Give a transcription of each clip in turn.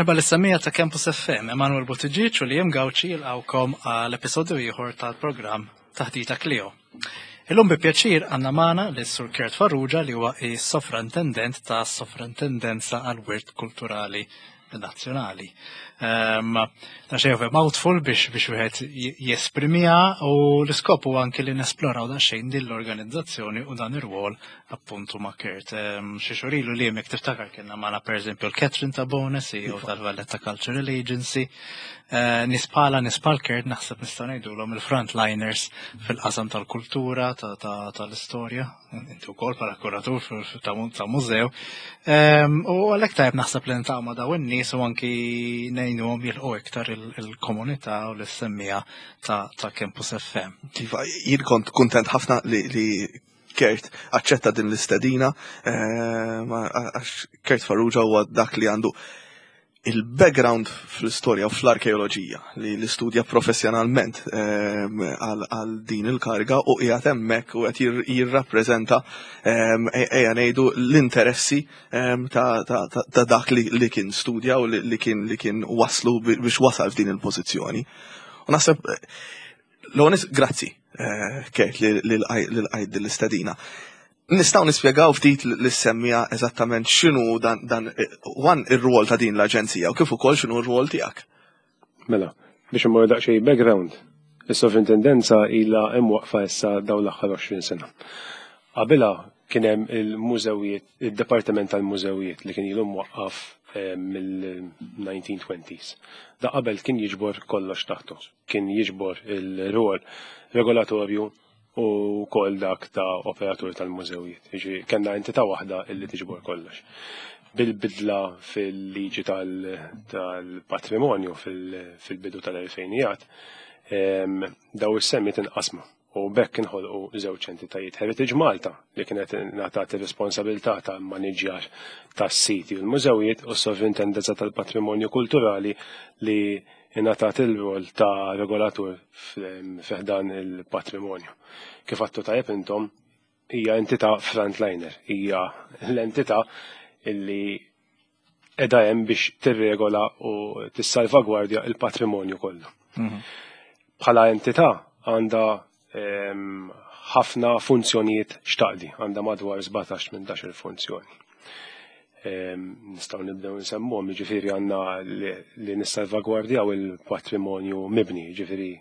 Merħba lis-semmiegħa ta' Campus FM, Emanuel Buttigieg u Liam Gauci jilqgħukom għal episodju ieħor tal-programm Taħdita Clio. Illum bi pjaċir għandna magħna lis Sur Kurt Farrugia li huwa is-Sovrantendent ta' Sovrantendenza għal Wirt Kulturali Nazzjonali. Um, ta' xejn mouthful biex biex wieħed jesprimiha u l-iskop huwa anki li nesploraw daqsxejn din l-organizzazzjoni u dan ir-rwol appuntu ma' Kurt. Ehm, xi xhur ilu li jekk tiftakar kienna magħna pereżempju l-Catherine Tabone, CEO iva. tal-Valletta Cultural Agency. Eh, nispala nispal Kurt naħseb nistgħu ngħidulhom il-frontliners fil-qasam tal-kultura, tal-istorja, inti wkoll bħala kuratur ta' mużew. Ehm, u għalhekk tajjeb naħseb li niltaqgħu ma' dawn in-nies u anki ngħinuhom jilqu iktar il-komunità u l-semmija ta' Campus FM. Iva, jien kont kuntent ħafna li Kurt aċċetta din l-istedina, ehm, għax Kurt Farrugia huwa dak li għandu il-background fl-istorja u fl-arkeoloġija li l-istudja professjonalment ehm, għal din il-karga u qiegħed hemmhekk u qed jirrappreżenta ehm, e-, ejja ngħidu l-interessi ehm, ta' dak li kien studja u li kien li kien waslu biex wasal f'din il-pożizzjoni. U naħseb l grazzi eh, Kurt li l-qajt l-istedina. Nistgħu nispjegaw ftit lis-semmija eżattament x'inhu dan dan wan ir-rwol ta' din l-aġenzija u kif ukoll x'inhu r-rwol tiegħek. Mela, biex immorru daqsxejn background, is-sovrintendenza ilha imwaqqfa issa dawn l-aħħar 20 sena. Qabilha kien hemm il-mużewijiet, id-Dipartiment tal-Mużewijiet li kien ilu mwaqqaf eh, mill-1920s. Da qabel kien jiġbor kollox taħtu. Kien jiġbor il-rwol regolatorju u wkoll dak ta' operatur tal-mużewijiet. Jiġifieri kellna entità waħda illi tiġbor kollox. Bil-bidla fil-liġi tal-patrimonju fil-bidu tal-elfejnijat, daw is-semmiet inqasmu u bekk inħolqu żewġ entitajiet. Heritage Malta li kienet ngħatat ir-responsabilità ta' maniġjar tas-siti u l-mużewijiet u s-Sovrintendenza tal-Patrimonju Kulturali li ingħatat il-rol ta' regolatur fi ħdan il-patrimonju. Kif għadtu tajjeb intom, hija entità frontliner, hija l-entità illi edha hemm biex tirregola u tissalvagwardja il-patrimonju kollu. Mhm. Bħala entità għandha ehm, ħafna funzjonijiet xtaqdi, għandha madwar 17-18 funzjoni. Ehm, nistgħu nibdew nsemmuhom, jiġifieri għandna li nissalvagwardjaw il-patrimonju mibni, jiġifieri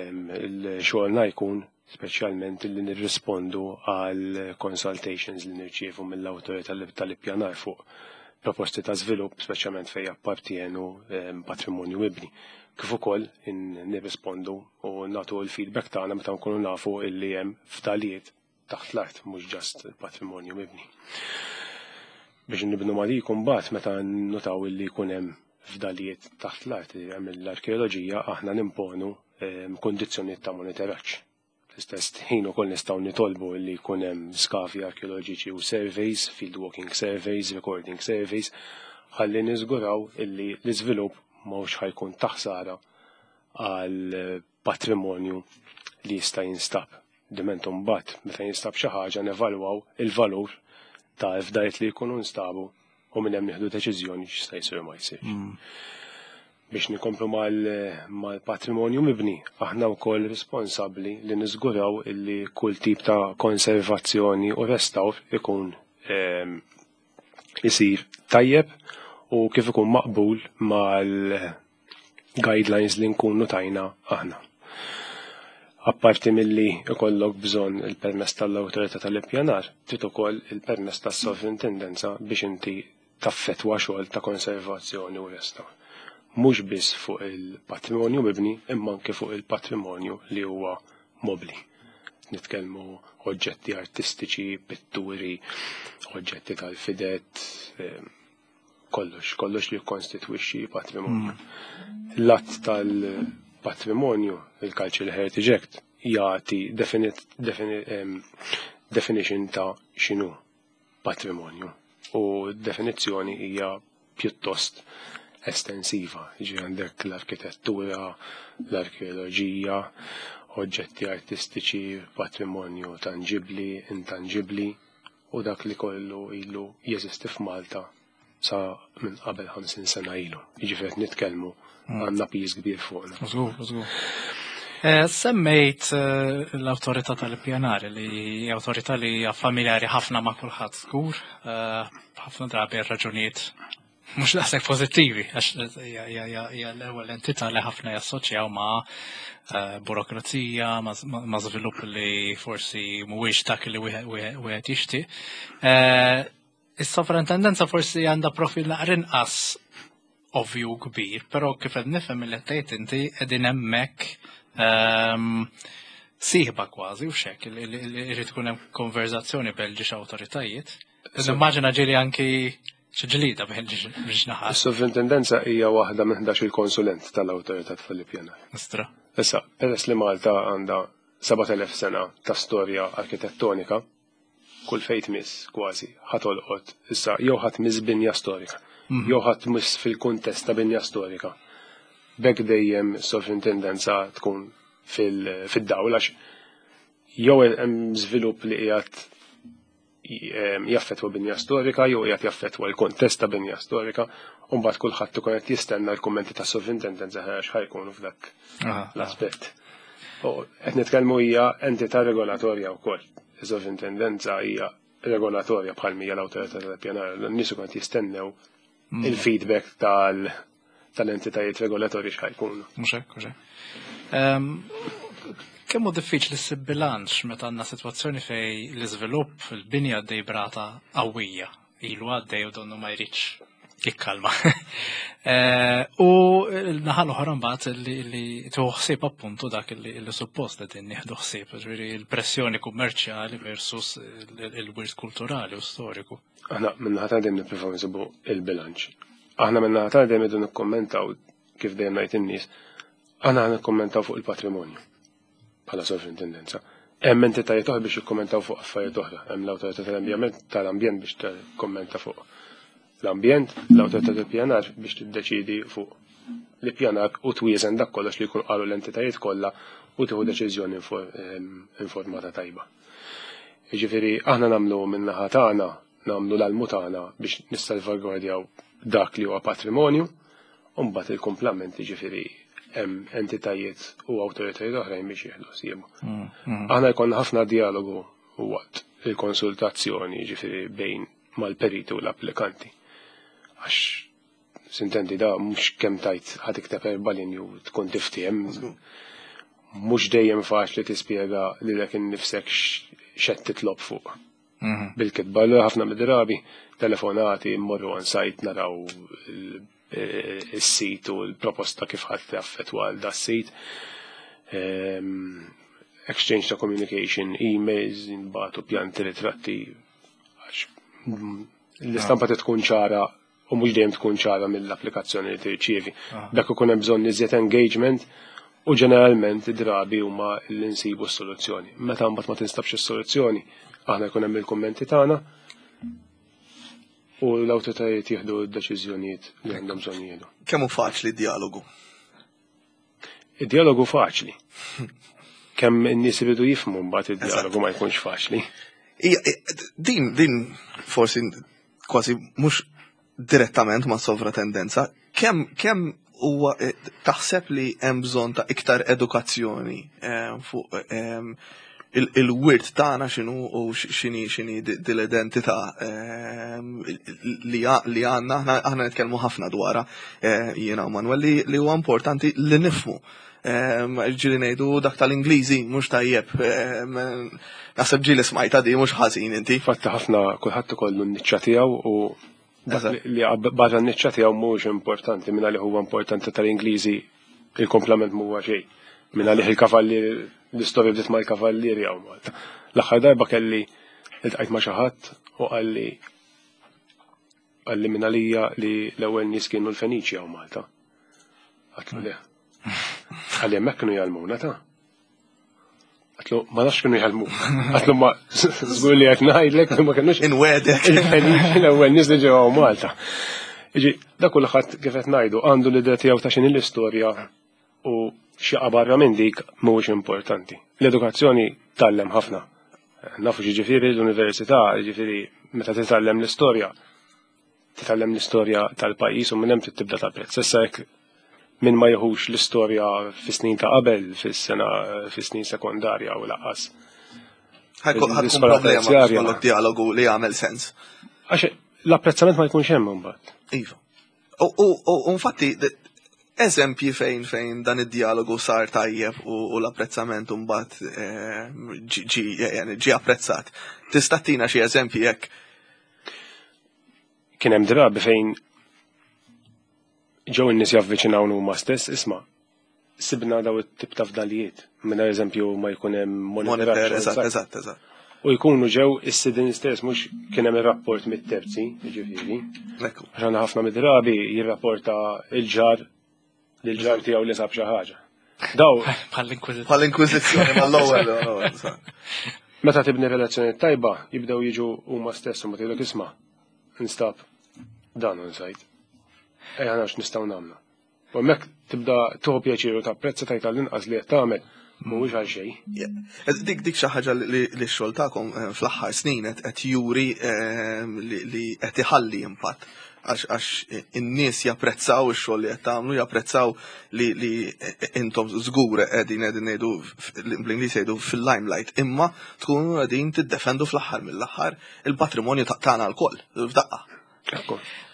ehm, il-xogħolna jkun speċjalment li nirrispondu għal consultations li nirċievu mill-awtorità tal-ippjanar fuq proposti ta' żvilupp, speċjalment fejn jappartjenu ehm, patrimonju mibni. Kif ukoll nirrispondu u nagħtu l-feedback tagħna meta nkunu nafu illi hemm fdalijiet taħt l-art, mhux ġast il-patrimonju mibni. Biex nibnu ma dik mbagħad meta nnotaw illi jkun hemm fdalijiet taħt l-art li hemm l-arkeoloġija aħna nimponu ehm, kundizzjonijiet ta' monitoraġġ. Fl-istess ħin ukoll nistgħu nitolbu li jkun hemm skavi arkeoloġiċi u surveys, field walking surveys, recording surveys, ħalli niżguraw illi l-iżvilupp mhux ħajkun taħsara għal patrimonju li jista' jinstab. Diment imbagħad meta jinstab xi ħaġa nevalwaw il-valur ta' fdajt li jkunu nstabu u minn hemm nieħdu deċiżjoni x'jista' jsir u ma jsirx. Mm. Biex nikomplu mal-patrimonju mibni, aħna wkoll responsabbli li niżguraw illi kull tip ta' konservazzjoni u restawr ikun ehm, isir tajjeb u kif ikun maqbul mal guidelines li nkunu tajna aħna. Apparti milli ikollok bżonn il-permess tal-awtorità tal-ippjanar, trid ukoll il-permess tas-sovrintendenza biex inti taffettwa xogħol ta' konservazzjoni u restawr. Mhux biss fuq il-patrimonju mibni imma anke fuq il-patrimonju li huwa mobbli. Nitkellmu oġġetti artistiċi, pitturi, oġġetti tal-fidet, eh, kollox, kollox li jikkonstitwixxi patrimonju. Mm. L-att tal-patrimonju, il-Cultural Heritage Act, jagħti definition ta' x'inhu patrimonju u definizzjoni hija pjuttost estensiva. Ġi għandek l-arkitettura, l-arkeoloġija, oġġetti artistiċi, patrimonju tangibli, intangibli, u dak li kollu ilu jeżisti f'Malta. sa minn qabel 50 sena ilu. Jiġifieri qed nitkellmu għandna piż kbir fuqna. Żgur, żgur. Eh, semmejt eh, l-awtorità tal-ippjanar li hija awtorità li hija familjari ħafna ma' kulħadd żgur, eh, ħafna drabi raġunijiet mhux daqshekk pożittivi għax hija l-ewwel entità li ħafna jassoċjaw ma' burokrazija, ma' żvilupp li forsi mhuwiex dak li wieħed jixtieq. Is-sovrintendenza forsi għandha profil naqra inqas ovvju kbir, però kif qed nifhem li tgħid inti qegħdin hemmhekk ehm, sieħba kważi u xek li irid ikun hemm konverzazzjoni bejn ġiex awtoritajiet. Immaġina ġieli anki xi ġlida bejn ġiex naħat. Is-sovrintendenza hija waħda minn 11 il-konsulent tal-awtorità tal-ippjanar. Istra. Issa, peress li Malta għandha 7000 sena ta' storja arkitettonika, kull fejn tmiss kważi ħa tolqot issa jew ħa tmiss binja storika, mhm. jew ħa tmiss fil-kuntest ta' binja storika. B'hekk dejjem sovrintendenza tkun fid-dawl għax jew hemm żvilupp li qiegħed jaffetwa binja storika jew qiegħed jaffetwa l-kontest ta' binja storika u mbagħad kulħadd ikun qed jistenna l-kummenti ta' sovrintendenza għax ħajkunu f'dak l-aspett. U qed nitkellmu hija entità regolatorja wkoll. Is-sovrintendenza hija regolatorja bħal mija l-awtorità tal-ippjanar. N-nies ikun qed jistennew mm. il-feedback tal tal-entitajiet regolatorji x'ħajkunu. Mhux hekk, mhux hekk. Ehm, kemm hu diffiċli ssib bilanċ meta għandna sitwazzjoni fej l-iżvilupp il-bini għaddej brata qawwija ilu għaddej u donnu ma jridx jikkalma. Eh, u l-naħa l-oħra mbagħad li tieħu ħsieb appuntu dak li suppost qegħdin nieħdu ħsieb, ġifieri l-pressjoni kummerċjali versus il-wirt kulturali u storiku. Aħna min-naħa ta' dejjem nippruvaw nsibu il-bilanċ. Aħna min-naħa ta' dejjem idu nikkommentaw kif dejjem ngħid in-nies, aħna nikkommentaw fuq il-patrimonju. bħala sovrintendenza. Hemm entitajiet oħra biex jikkommentaw fuq affarijiet oħra. Hemm l-awtorità tal-ambjent tal-ambjent biex tikkommenta fuq l-ambjent, l-awtorità tal-pjanar biex tiddeċidi fuq l-ippjanar u twieżen dak kollox li jkun qalu l-entitajiet kollha u tieħu deċiżjoni ehm, informata tajba. Jiġifieri aħna nagħmlu min-naħa tagħna nagħmlu l-almu tagħna biex nissalvagwardjaw dak li huwa patrimonju, u mbagħad il-kumplament jiġifieri hemm entitajiet u awtoritajiet oħrajn biex jieħdu ħsiebu. Mm, mm. Aħna jkollna ħafna dialogu waqt il-konsultazzjoni jiġifieri bejn mal-periti u l-applikanti. Għax sintendi da mhux kemm tajt ħad ikteb erba' linji u tkun tiftiem. Mhux dejjem faċli tispjega lilek innifsek x'qed titlob fuq. Mhm. Bil-kitba, allura ħafna mid-drabi telefonati mmorru on site naraw is-sit u l-proposta kif ħadd jaffettwa għal da sit. Ehm, exchange ta' communication, emails, nbatu pjanti, ritratti, għax mm, l-istampa ah. tkun ċara u mhux dejjem tkun ċara mill-applikazzjoni li tirċievi. Ah. Dak ikun hemm bżonn iżjed engagement u ġeneralment drabi huma li nsibu s-soluzzjoni. Meta mbagħad ma tinstabx is-soluzzjoni, aħna jkun hemm il-kummenti tagħna u l-awtoritajiet jieħdu d-deċiżjonijiet li għandhom bżonn jieħdu. Kemm hu faċli d-dialogu? Id-dialogu faċli. Kemm in-nies iridu jifhmu mbagħad id-dialogu ma jkunx faċli. Din din forsi kważi mhux direttament ma' sovratendenza, kemm kemm huwa eh, taħseb li hemm bżonn ta' iktar edukazzjoni eh, fuq eh, il-wirt tagħna x'inhu u x'inhi x'inhi dil-identità ehm, li għandna aħna nitkellmu ħafna dwarha eh, jiena u Manuel li huwa importanti li nifhmu. Ehm, ġieli ngħidu dak tal-Ingliżi mhux tajjeb. Ehm, naħseb ġieli smajta di mhux ħażin inti. Fatta ħafna kulħadd ikollu n-niċċa tiegħu u dak li barra n-niċċa tiegħu mhux importanti minn għalih huwa importanti tal-Ingliżi il-komplament mhuwa xejn. Minn għalih il-kavallieri, l-istorja bdiet mal-kavallieri hawn Malta. L-aħħar darba kelli iltqajt ma' xi ħadd u qalli qalli minn għalija li l-ewwel nies kienu l-Feniċi hawn Malta. Għatlu le. Qalli hemmhekk kienu jgħallmuna ta' Għatlu, ma nafx kienu jgħallmu. Għatlu, ma żgur li qed ngħidlek ma kinux. Inwedek. Il-Feniċi l-ewwel nies li ġew Malta. Iġi, da kulħadd kif qed ngħidu għandu l-idea tiegħu ta' x'inhi l-istorja u xi barra minn dik mhuwiex importanti. L-edukazzjoni tgħallem ħafna. Nafu ġifieri l-università, ġifieri meta titgħallem l-istorja. Titgħallem l-istorja tal-pajjiż u minn hemm trid tibda tapprezza. Issa jekk min ma jieħux l-istorja fis-snin ta' qabel, fis-sena fis-snin sekondarja u laqqas. Ħajkun problema jkollok dialogu li jagħmel sens. Għax l-apprezzament ma jkunx hemm imbagħad. Iva. U infatti eżempji fejn fejn dan id-dialogu sar tajjeb u l-apprezzament mbagħad eh, ġi apprezzat. Tista' tina xi eżempji jekk? Kien hemm drabi fejn ġew in-nies javviċinaw huma stess, isma' sibna daw it-tip ta' fdalijiet, minn eżempju ma jkun hemm monitor. Eżatt, eżatt, eżatt. U jkunu ġew is-sidin stess, mhux kien hemm ir-rapport mit-terzi, jiġifieri. Għax għandna ħafna mid-drabi jirrapporta il-ġar lil ġar tiegħu li sab xi ħaġa. Daw. Bħall-inkwiżizzjoni. Bħall-inkwiżizzjoni mal-ewwel. Meta tibni relazzjoni tajba, jibdew jiġu huma stess u ma tgħidlek isma' instab dan on site. Ejja narax nistgħu nagħmlu. U hemmhekk tibda tieħu pjaċir u tapprezza tgħid għall-inqas li qed tagħmel mhuwiex għal xejn. Dik dik xi ħaġa li x-xogħol tagħkom eh, fl-aħħar snin qed juri eh, li qed iħalli impatt għax in-nies japprezzaw ix-xogħol li qed tagħmlu, japprezzaw li li intom żgur qegħdin qegħdin ngħidu bl-Ingliż jgħidu fil-limelight, imma tkunu qegħdin tiddefendu fl-aħħar mill-aħħar il-patrimonju tagħna lkoll f'daqqa.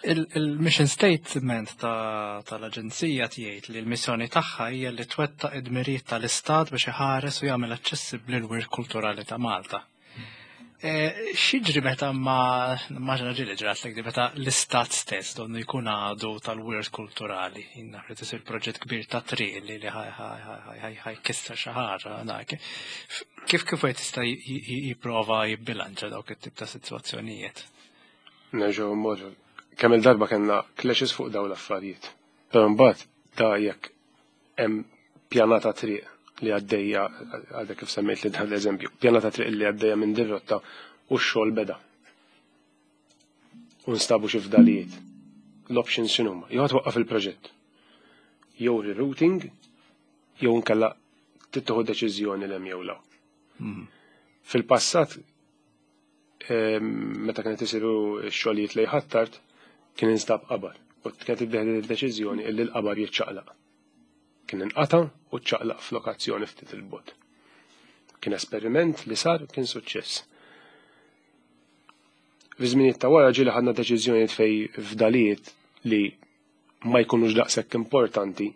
Il-mission statement tal-Aġenzija tgħid li l-missjoni tagħha hija li twettaq id-dmirijiet tal-Istat biex iħares u jagħmel aċċessibbli l-wirt kulturali ta' Malta. E, x'jiġri meta ma nimmaġina ġieli ġratlek di meta l-istat stess donnu jkun għadu tal-wirt kulturali. Naf li tisir proġett kbir ta' triq li li ħajkisser xi ħaġa Kif kif wieħed jista' jipprova jibbilanċa dawk it-tip ta' sitwazzjonijiet? Nerġgħu mmorru. Kemm il-darba kellna clashes fuq dawn l-affarijiet. Però mbagħad da jekk hemm pjanata triq li għaddejja għadha kif semmejt li dan l-eżempju, pjanata triq li għaddejja minn dir-rotta u x-xogħol beda. U nstabu xi fdalijiet. L-options x'inhuma? Jew twaqqaf il-proġett. Jew rerouting, jew inkella tittieħu deċiżjoni l hemm jew la. Hmm. Fil-passat meta kienet isiru x-xogħlijiet lejn Ħ'Attard kien instab qabar u kienet iddieħdet id-deċiżjoni illi l-qabar jiċċaqlaq. Kien inqata' u ċċaqlaq f'lokazzjoni ftit 'il bogħod. Kien esperiment li sar kien suċċess. Fi żminijiet ta' wara ġieli ħadna deċiżjonijiet fejn fdalijiet li ma jkunux daqshekk importanti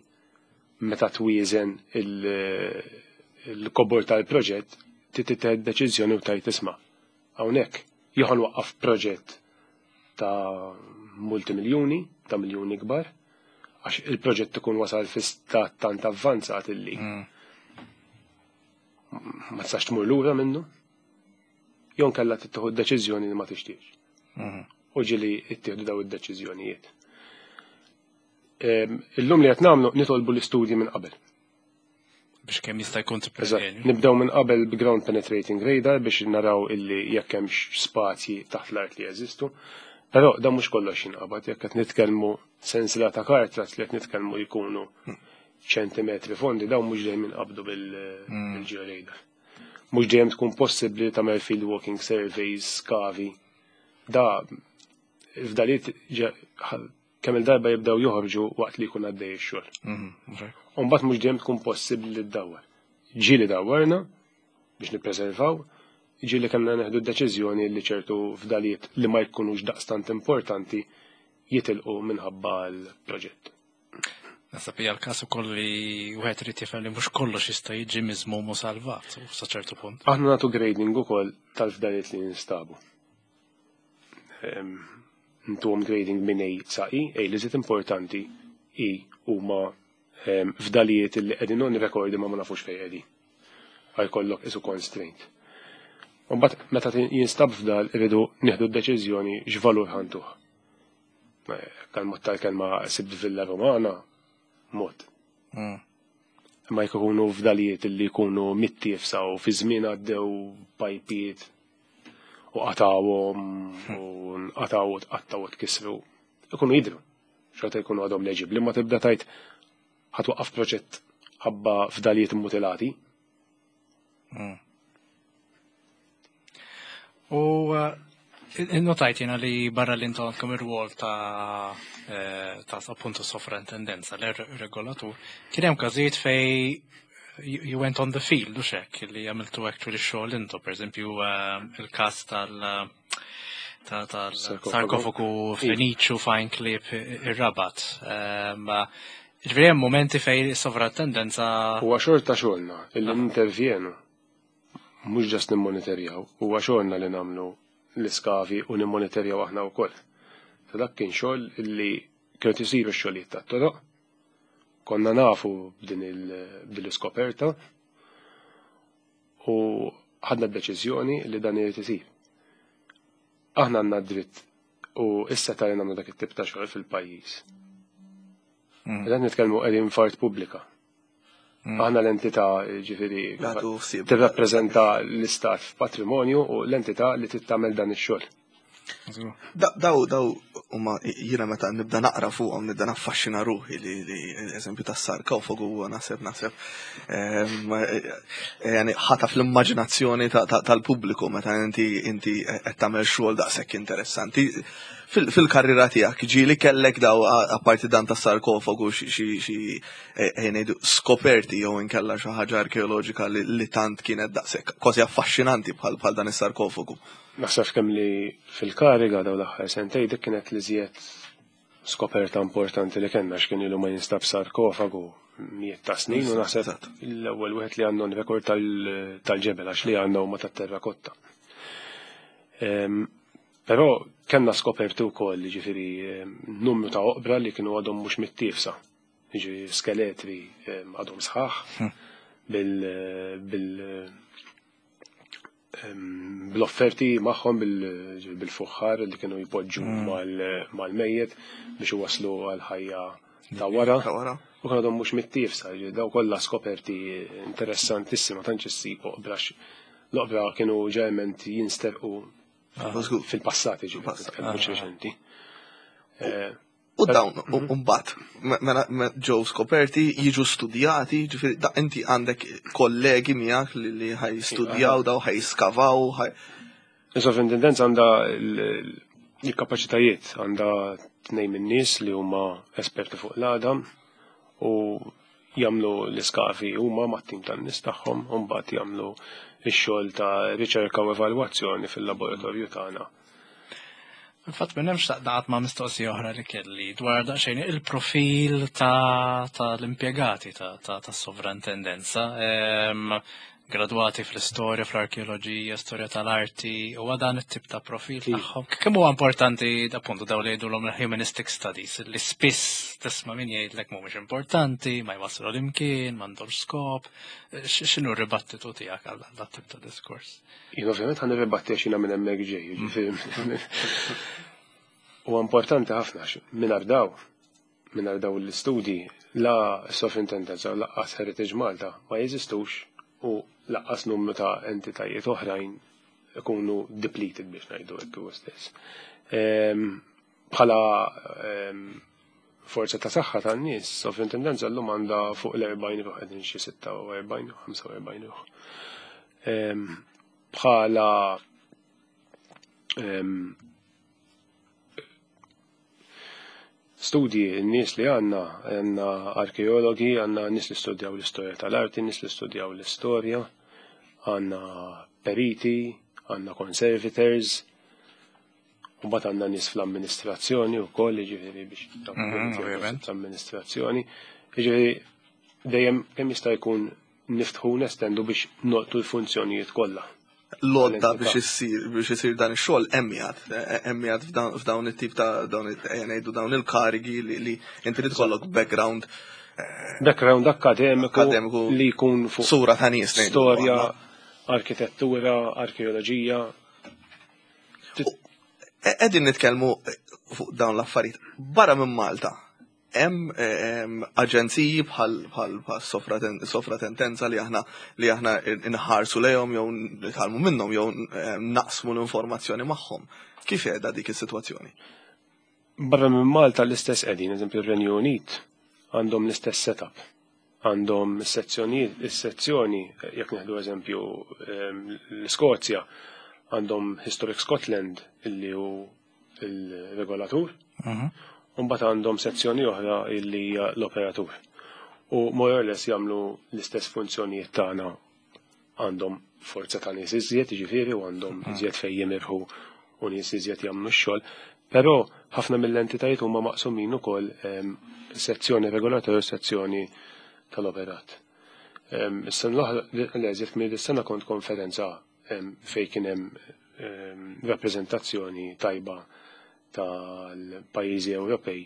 meta twieżen il-kobor tal-proġett trid tittieħed deċiżjoni u tgħid isma' hawnhekk jew ħa nwaqqaf proġett ta' multimiljuni, ta' miljuni kbar, għax il-proġett ikun wasal fi stat tant avvanzat illi mm. ma tistax tmur lura minnu, jew nkella tittieħu deċiżjoni li ma tixtiex. Mm. U ġieli ttieħdu daw id-deċiżjonijiet. Illum li qed nagħmlu nitolbu l-istudji minn qabel. Biex kemm jista' jkun tippreveni. Nibdew minn qabel bi ground penetrating radar biex naraw illi jekk hemmx spazji taħt l-art li jeżistu. Però dan mhux kollox jinqabad jekk qed nitkellmu sensiela ta' kartras li qed nitkellmu jkunu ċentimetri fondi dawn mhux dejjem jinqabdu bil-georadar. Mhux dejjem tkun possibbli tagħmel field walking surveys, skavi. Da fdaliet kemm il-darba jibdew joħorġu waqt li jkun għaddej ix-xogħol. Mhm, u mbagħad mhux dejjem tkun possibbli li ddawwar. Ġieli dawwarna biex nippreservaw, ġieli kellna neħdu d-deċiżjoni li ċertu fdalijiet li ma jkunux daqstant importanti jitilqu minħabba l-proġett. Nasab hija l-każ ukoll li wieħed irid jifhem li mhux kollox jista' jiġi miżmum u salvat u sa ċertu punt. Aħna nagħtu grading ukoll tal-fdalijiet li jinstabu. Ntuhom grading minn A sa E, A li żied importanti, E huma fdalijiet li qegħdin on record imma ma nafux fejn qegħdin. Għajkollok isu constraint. U mbagħad meta jinstab fdal irridu nieħdu d-deċiżjoni x'valur ħantuh. Għal-mod tal-kelma sibt Villa Romana, mod. Mm. Imma jekk ikunu fdalijiet li jkunu mittiefsa u fi żmien għaddew pajpiet u qatawhom u nqataw u tqattaw u tkissru, ikunu jidhru. Xorta jkunu għadhom leġibbli, ma tibda tajt ħatwaqqaf proġett ħabba fdalijiet mutilati. U eh, Notajt jena li barra li intom għandkom ir-rwol ta' eh, ta' appuntu sovrintendenza, l-regolatur, kien hemm każijiet fej you went on the field, u xek, li għamiltu actually xogħol intom, per eżempju eh, il-każ tal- tal-sarkofagu Feniċu fajn klip ir-Rabat. Ehm, ġifieri hemm momenti fej sovrintendenza. Huwa xorta xogħolna illi nintervjenu mhux ġast nimmonitorjaw, huwa xogħolna li nagħmlu l-iskavi u nimmonitorjaw aħna wkoll. Ta' dak kien xogħol illi kienu isiru x-xogħlijiet tat-toroq, konna nafu b'din l-iskoperta u ħadna d-deċiżjoni li dan irid isir. Aħna għandna dritt u issa ta' nagħmlu dak it-tip ta' xogħol fil-pajjiż. Dan nitkellmu qegħdin f'art pubblika. Aħna l-entità ġifieri tirrappreżenta l-istat f'patrimonju u l-entità li trid tagħmel dan ix-xogħol. Daw, daw, huma jiena meta nibda naqra fuqhom nibda naffaxxina ruħi li eżempju tas-sarkofagu huwa naħseb naħseb yani ħataf l-immaġinazzjoni tal-pubbliku meta inti inti qed tagħmel xogħol daqshekk interessanti. Fil-karriera tiegħek ġieli kellek daw apparti dan tas-sarkofagu xi ngħidu skoperti jew inkella xi ħaġa arkeoloġika li tant kienet daqshekk kważi affaxxinanti bħal dan is-sarkofagu. Naħseb kemm li fil-kariga daw l-aħħar sentej dik kienet li żjed skoperta importanti li kellna x'kien ilu ma jinstab sarkofagu mijiet ta' snin u naħseb l-ewwel wieħed li għandna rekord tal-ġebel għax li għandna huma tat-terrakotta. Però kellna skoperti wkoll ġifieri numru ta' oqbra li kienu għadhom mhux mittiefsa. Ġifieri skeletri għadhom sħaħ bil bl-offerti magħhom bil-fuħħar li kienu jpoġġu mal-mejjet biex iwasslu għal-ħajja ta' wara. U kienu għadhom mhux mittiefsa, daw kollha skoperti interessantissima tantx issib oqbra l-oqbra kienu ġeneralment jinsterqu fil-passat, ġifieri, mhux reċenti. U dawn, mbagħad, mela ġew skoperti, jiġu studjati, ġifieri, da inti għandek kollegi miegħek li ħaj studjaw daw, ħaj skavaw, ħaj. Is-sovrintendenza għandha l-kapaċitajiet, għandha tnejn min-nies li huma esperti fuq l-għadam u jagħmlu l-iskavi huma mat-tim tan-nies tagħhom u mbagħad jagħmlu x-xogħol ta' riċerka u evalwazzjoni fil-laboratorju tagħna. Infatti minn hemm xtaqt ma' mistoqsija oħra li kelli dwar daqsxejn il-profil ta' tal-impjegati ta' tas-sovrintendenza. Gradwati fl-istorja, fl-arkeoloġija, storja tal-arti, u dan it-tip ta' profil tagħhom. Kemm huwa importanti appuntu daw li jgħidulhom humanistic studies, li spiss tisma' min jgħidlek mhumiex importanti, ma jwasslu l-imkien, m'għandhomx skop. X'inhu r-ribattitu tiegħek għal dat tip ta' diskors? Jien ovvjament ħa nirribatti għax jiena minn hemmhekk ġej, jiġifieri. Huwa importanti ħafna għax mingħajr daw, mingħajr daw l-istudji la sovrintendenza u lanqas Heritage Malta ma jeżistux u lanqas numru ta' entitajiet oħrajn ikunu depleted biex ngħidu hekk huwa stess. Bħala forza ta' saħħa tan-nies, sovrintendenza llum għandha fuq l-40 ruħ qegħdin xi 46 u 45 ruħ. Bħala studji, n-nies li għandna, għandna arkeologi, għandna nies li studjaw l-istorja tal-arti, nies li studjaw l-istorja, għandna periti, għandna conservators, u mbagħad għandna nies fl-amministrazzjoni wkoll, jiġifieri biex l-amministrazzjoni. Jiġifieri dejjem kemm jista' jkun niftħu nestendu biex nolqtu l-funzjonijiet kollha. L-għodda biex isir dan ix-xogħol hemm qiegħed f'dawn it-tip ta' dawn ngħidu dawn il-karigi li inti trid ikollok background background akademiku li jkun fuq sura ta' nies storja, arkitettura, arkeoloġija. Qegħdin nitkellmu fuq dawn l-affarijiet barra minn Malta. Hemm aġenziji bħal sovratendenza li aħna li aħna inħarsu lejhom jew nitgħallmu minnhom jew naqsmu l-informazzjoni magħhom. Kif qiegħda dik is-sitwazzjoni? Barra minn Malta l-istess qegħdin, eżempju r-Renju Unit għandhom l-istess setup. Għandhom is-sezzjoni, jekk nieħdu eżempju l-Iskozja, Għandhom Historic Scotland illi hu il-regolatur, u mbagħad għandhom sezzjoni oħra illi hija l-operatur. U more or less jagħmlu l-istess funzjonijiet tagħna, għandhom forza ta' nies iżjed, jiġifieri, u għandhom iżjed fejn jimirħu u nies iżjed jagħmlu x-xogħol. Però ħafna mill-entitajiet huma maqsumin ukoll sezzjoni regolatorja u sezzjoni tal-operat. Is-sena l-oħra, l-eżjed minn is-sena kont konferenza fejn kien hemm rappreżentazzjoni tajba tal-pajjiżi Ewropej,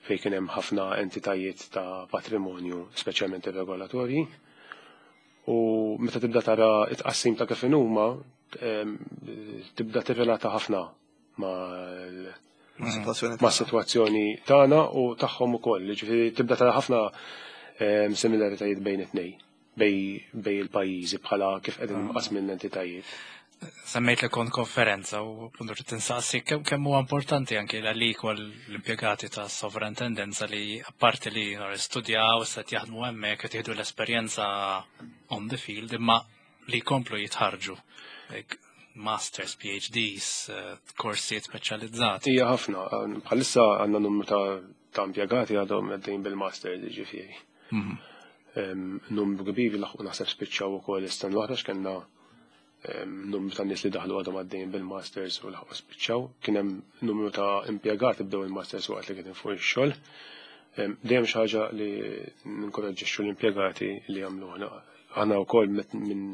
fejn kien hemm ħafna entitajiet ta' patrimonju, speċjalment ir-regolatorji. U meta tibda tara it-tqassim ta' kif huma, tibda tirrelata ħafna ma' situazzjoni tagħna u tagħhom ukoll. Ġifieri tibda tara ħafna similaritajiet bejn it-tnejn, bejn il-pajjiżi bħala kif qegħdin mqasmin l-entitajiet. Semmejt li kont konferenza u puntu trid tinsaqsi kemm huwa importanti anke għalik u l-impjegati ta' sovrintendenza li apparti li studjaw, se jaħdmu hemmhekk, qed jieħdu l-esperjenza on the field, imma li jkomplu jitħarġu. Like, masters, PhDs, korsijiet speċjalizzati. Hija ħafna, bħalissa għandna numru ta' impjegati għadhom għaddejn bil-masters, ġifieri. Numru kbir laħqu naħseb spiċċaw ukoll is-sena l-oħra, x'kellna numru ta' nies li daħlu għadhom għaddejn bil-masters u laħqu spiċċaw. Kien hemm numru ta' impjegati bdew il-masters waqt li kien fuq ix-xogħol. Dejjem xi ħaġa li ninkoraġġixxu l-impjegati li jagħmlu aħna. Aħna wkoll minn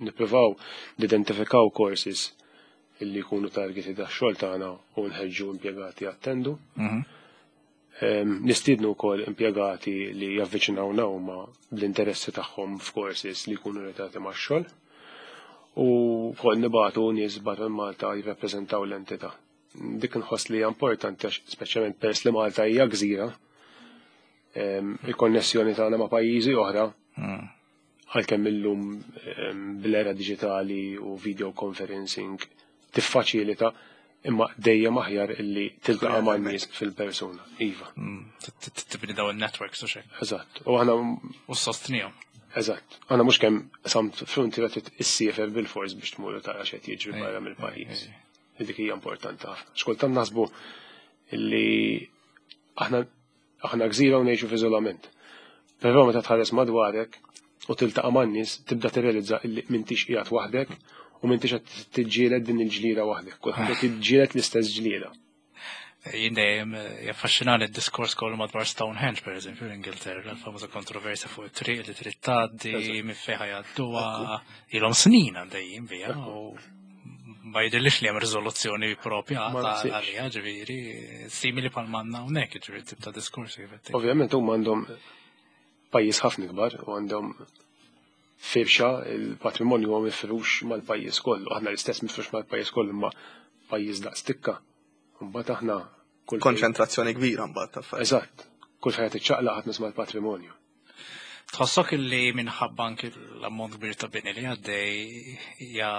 nippruvaw nidentifikaw courses illi jkunu targeted għax-xogħol tagħna u nħeġġu impjegati jattendu. Nistiednu wkoll impjegati li javviċinawna huma bl-interessi tagħhom f'courses li jkunu relatati max-xogħol. U wkoll nibagħtu nies barra Malta jirrappreżentaw l-entità. Dik nħoss li hija importanti għax speċjalment peress li Malta hija gżira, il-konnessjoni tagħna ma' pajjiżi oħra, għalkemm illum bl-era diġitali u video conferencing tiffaċilita, imma dejjem aħjar illi tiltaqa' man nies fil-persuna. Iva. Tibni daw il-networks u xejn. Eżatt. U aħna U sostnihom. Eżatt. Aħna mhux kemm samt frontiera trid issiefer bil-fors biex tmur tara x'qed jiġri barra mill-pajjiż. Dik hija importanti ħafna. Xkultant naħsbu illi aħna gżira u ngħixu f'iżolament. Però meta tħares madwarek u tiltaqa' man-nies tibda tirrealizza illi m'intix qiegħed waħdek u m'intix qed tiġġieled din il-ġlieda waħdek. Kulħadd qed jiġġieled l-istess ġlieda. Jien dejjem jaffaxxinani d-diskors kollu madwar Stonehenge, per eżempju, l-Ingilterra, l-famuża kontroversja fuq it-triq li trid tgħaddi, minn fejn jgħadduha, ilhom snin għaddejjin biha u ma jidhirlix li hemm riżoluzzjoni propja Ma naħsibx. għaliha, ġifieri simili bħal manna hawnhekk, ġifieri tip ta' diskorsi kif qed tgħid. Ovvjament huma għandhom pajjiż ħafna kbar u għandhom firxa, il-patrimonju huwa mifrux mal-pajjiż kollu. Aħna l-istess mifrux mal-pajjiż kollu, imma pajjiż daqs tikka. Mbagħad aħna kull fejn- Konċentrazzjoni kbira mbagħad ta' affarijiet. Eżatt. Kull fejn qed tiċċaqlaq ħadd nisma' l-patrimonju. Tħossok illi minħabba anki l-ammont kbir ta' bini li għaddej hija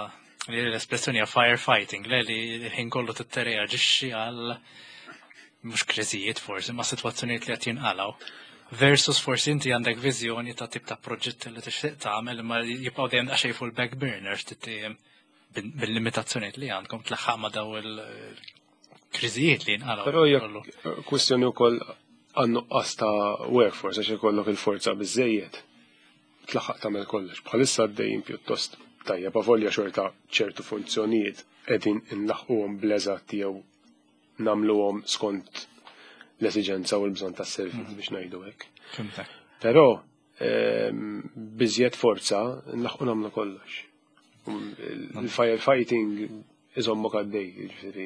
li l-espressjoni hija firefighting, le li l-ħin kollu titreaġixxi għal mhux kriżijiet forsi, ma sitwazzjonijiet li qed jinqalgħu. Versus forsi inti għandek viżjoni ta' tip ta' proġett li tixtieq tagħmel imma jibqgħu dejjem daqsxejn fuq il-back burner ftit bil-limitazzjonijiet li għandkom tlaħħaq ma' daw il-kriżijiet li jinqalgħu. Però hija kollu. kwistjoni wkoll għan-nuqqas ta' workforce, għax ikollok il-forza biżejjed. Tlaħħaq tagħmel kollox. Bħalissa għaddejjin pjuttost tajjeb, avolja xorta ċertu funzjonijiet qegħdin inlaħquhom bl-eżatt jew nagħmluhom skont l-esiġenza u l-bżonn tas-servizz biex ngħidu hekk. Fhimtek. Però biżjed forza nlaħqu nagħmlu kollox. Il-firefighting iżommok għaddej, jiġifieri.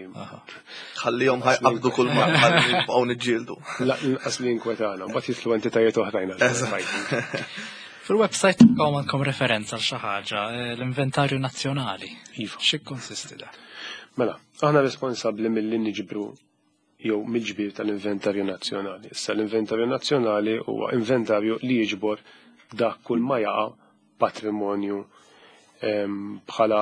Ħallihom ħajqabdu kull ma ħalli nibqgħu niġġieldu. Lanqas li inkwetana, mbagħad jidħlu entitajiet oħrajn għal firefighting. Fil-website tagħkom għandkom referenza għal xi ħaġa, l-inventarju nazzjonali. Iva. X'ikkonsisti da? Mela, aħna responsabbli milli niġbru jew mill-ġbir tal-inventarju nazzjonali. Issa l-inventarju nazzjonali huwa inventarju li jiġbor dak kull ma jaqa' patrimonju bħala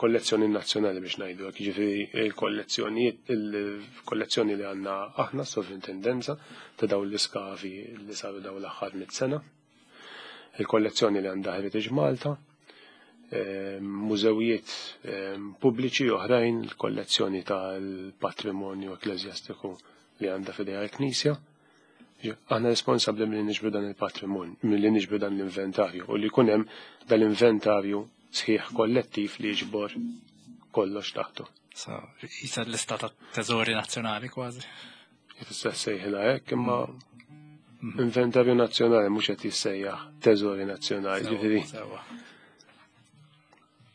kollezzjoni nazzjonali biex ngħidu hekk. Jiġifieri il-kollezzjoni li għandna aħna sovrintendenza ta' dawn l-iskavi li saru dawn l-aħħar 100 sena, il-kollezzjoni li għandha Heritage Malta, Mużewijiet pubbliċi oħrajn, l-kollezzjoni tal-patrimonju ekkleżjastiku li għandha f'idejha l-Knisja. Aħna responsabbli milli niġbru dan il-patrimonju, milli niġbru dan l-inventarju u li jkun hemm dal-inventarju sħiħ kollettiv li jiġbor kollox taħtu. So, jisa l-lista ta' teżori nazzjonali kważi. Tista' sejħilha hekk imma inventarju nazzjonali mhux qed jissejjaħ teżori nazzjonali, ġifieri.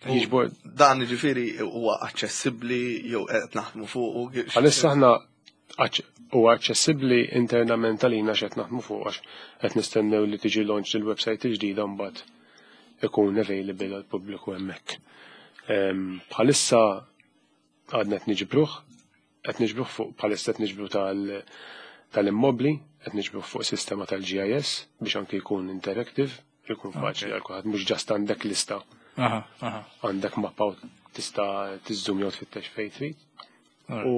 Jiġbor Dan ġifieri huwa aċċessibbli jew qed naħdmu fuq. Għalissa aħna huwa aċċessibbli internament għalina x'qed naħdmu fuq għax qed nistennew li tiġi launch il-website il-ġdida mbagħad ikun available għal pubbliku hemmhekk. Bħalissa għadna qed niġbruh, qed niġbruh fuq bħalissa qed niġbru tal-immobli, qed niġbruh fuq sistema tal-GIS biex anke jkun interactive, jkun faċli għal kulħadd mhux just għandek lista, għandek mappa u tista' tiżżum jew tfittex fejn trid. U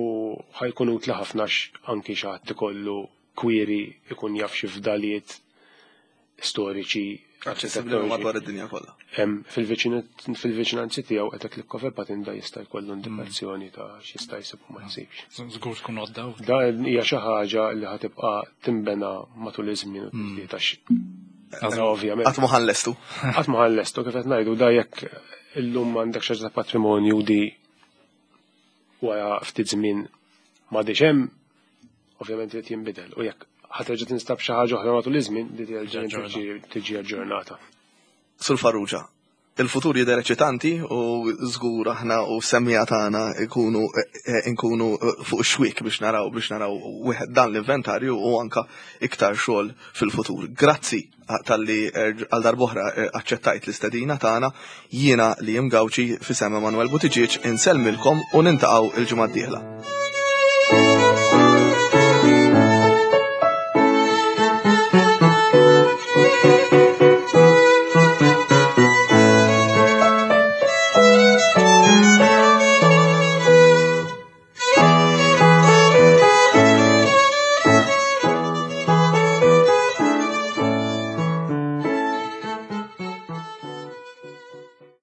ħa jkun utli ħafna anki xi ħadd ikollu query ikun jaf xi fdalijiet storiċi Aċċessibbli madwar id-dinja kollha. Fil-viċinanzi tiegħu qed click of a button da jista' jkollu indikazzjoni ta' x'jista' jsib u ma jsibx. Żgur tkun għodda. Da hija xi ħaġa li ħa tibqa' tinbena matul iż-żmien u tiżdied għax ovvjament. Qatt ma ħa nlestu. Qatt ma ħa nlestu kif qed ngħidu da jekk illum għandek xi ta' patrimonju di wara ftit żmien m'għadix hemm, ovvjament irid jinbidel u jekk ħa terġa' tinstab xi ħaġa oħra matul iż-żmien di terġa' tiġi aġġornata. Sur Farrugia, il-futur jidher eċitanti u żgur aħna u semmiegħa tagħna ikunu nkunu fuq xwik biex naraw wieħed dan l-inventarju u anka iktar xogħol fil-futur. Grazzi talli għal darb'oħra aċċettajt l-istedina tagħna. Jiena li Gawċi f'isem Emanuel Buttigieg insellmilkom u niltaqgħu il-ġimgħa d-dieħla.